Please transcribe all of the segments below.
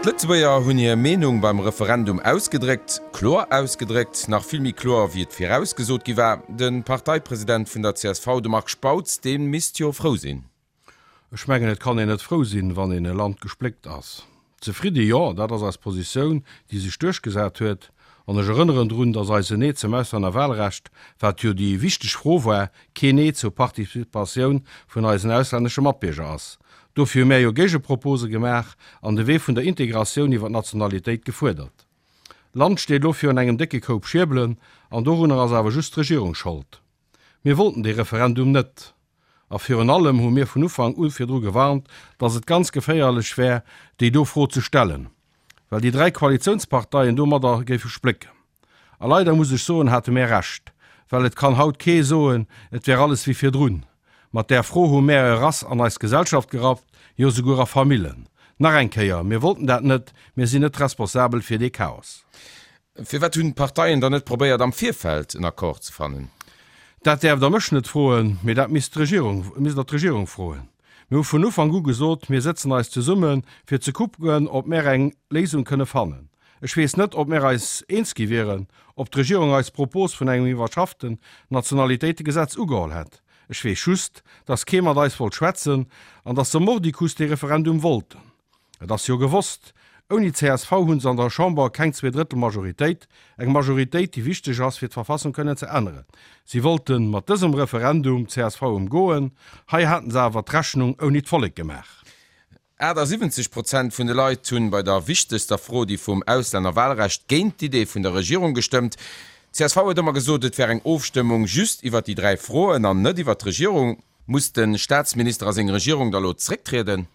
D'Lëtzebuerger hunn hir Meenung beim Referendum ausgedréckt, kloer ausgedréckt, nach vill méi kloer wéi et virausgesot gi war. De Parteipresident vun der csv, de Marc Spautz, dee misst jo frou sinn. Ech mengen, et kann een net frou sinn, wann een e Land gespléckt ass. Zefridde jo, dat ass eis Positioun, déi sech duerchgesat huet. An ech erënneren drun, datt eisen Nee zum Auslännerwahlrecht, wat jo déi wichteg Fro war, keen Nee zur Participatioun vun eisen auslännesche Matbierger ass. Dofir hu mär jo Géigepropose gemaach an de Wee vun der Integratioun iwwer d'Nationalitéit gefuerdert. D'Land steet elo virun engem décke Koup Schierbelen an dorunner ass awer just d'Regierung Schold. Mir wollten dee Referendum net. A virun allem hu mir vun Ufank u virdru gewarnt, dass et ganz geféierlech wär, déi do Fro ze stellen, well déi 3 Koalitiounsparteien domadder géife splécken. A leider muss ech soen, hate mär Recht, well et kann haut kee soen, et wär alles wéi virdrun. Mat där Fro hu mär e Rass an eis Gesellschaft gerappt, jo souguer a Famillen. Nach eng Kéier, mir wollten dat net, mir sinn net responsabel fir dee Chaos. Firwat hunn d'Parteien dann net probéiert am Virfeld en Accord ze fannen? Dat däerft Der mech net froen, mee dat misst d'Regierung, misst Der d'Regierung froen. Mir hu vun Ufank u gesot, mir sëtzen eis zesummen, fir ze kucken, ob mär eng Léisung kënne fannen. Ech weess net, ob mär eis eens gi wieren, ob d'Regierung eis Propos vun engem iwwerschafften Nationalitéitegesetz ugeholl hätt. Ech weess just, dass kee mat eis wollt schwätzen an dass se mordicus dee Referendum wollten. Et ass jo gewosst, ouni csv hu se an der Chamber keng Zweedrëttel-Majoritéit, eng Majoritéit, déi wichteg ass, fir d'Verfassung kënnen ze änneren. Si wollte mat dësem Referendum csv ëmgoen. Hei haten se awer d'Rechnung ouni d'Vollek gemaach. 78 Prozent vun de Leit hunn bei der wichtegster Fro, déi vum Auslännerwahlrecht, géint d'Idee vun der Regierung gestëmmt. Csv huet ëmmer gesot, et wär eng Ofstëmmung just iwwer déi 3 Froen an net iwwer d'Regierung. Muss de Staatsminister a seng Regierung da lo zrécktrieden?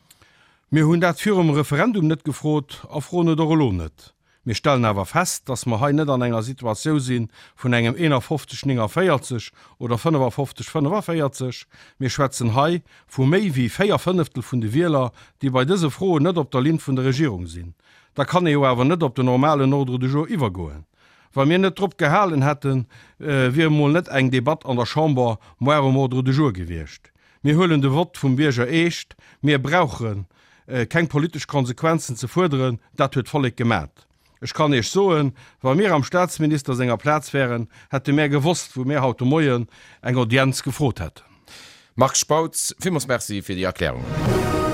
Mir hunn dat virum Referendum net gefrot a froen et och elo net. Mir stellen awer fest, dass mer hei net an enger Situatiou si vun engem 51, 49 oder 55, 45. Mir schwätzen hei vu méi wéi 4 Fënneftel vun de Wieler, déi bei dëse Froen net op der Linn vun der Regierung sinn. Da kann ee jo awer net op den normalen Ordre du jour iwwergoen. Wa mir net drop gehalen hätten, wier emol net eng Debatt an der Chamber moar um Ordre du jour gewiescht. Mir huelen de Vott vum Bierger eescht. Mir brauche keng politesch Konsequenzen ze fuerderen, dat huet d'Vollek gemat. Ech kann Iech soen, wa mir am Staatsminister senger Plaz wären, hätte mär gewosst, wou mär haut de Moien eng Audienz gefrot hätten. Marc Spautz, villmools Merci fir déi Erklärungen.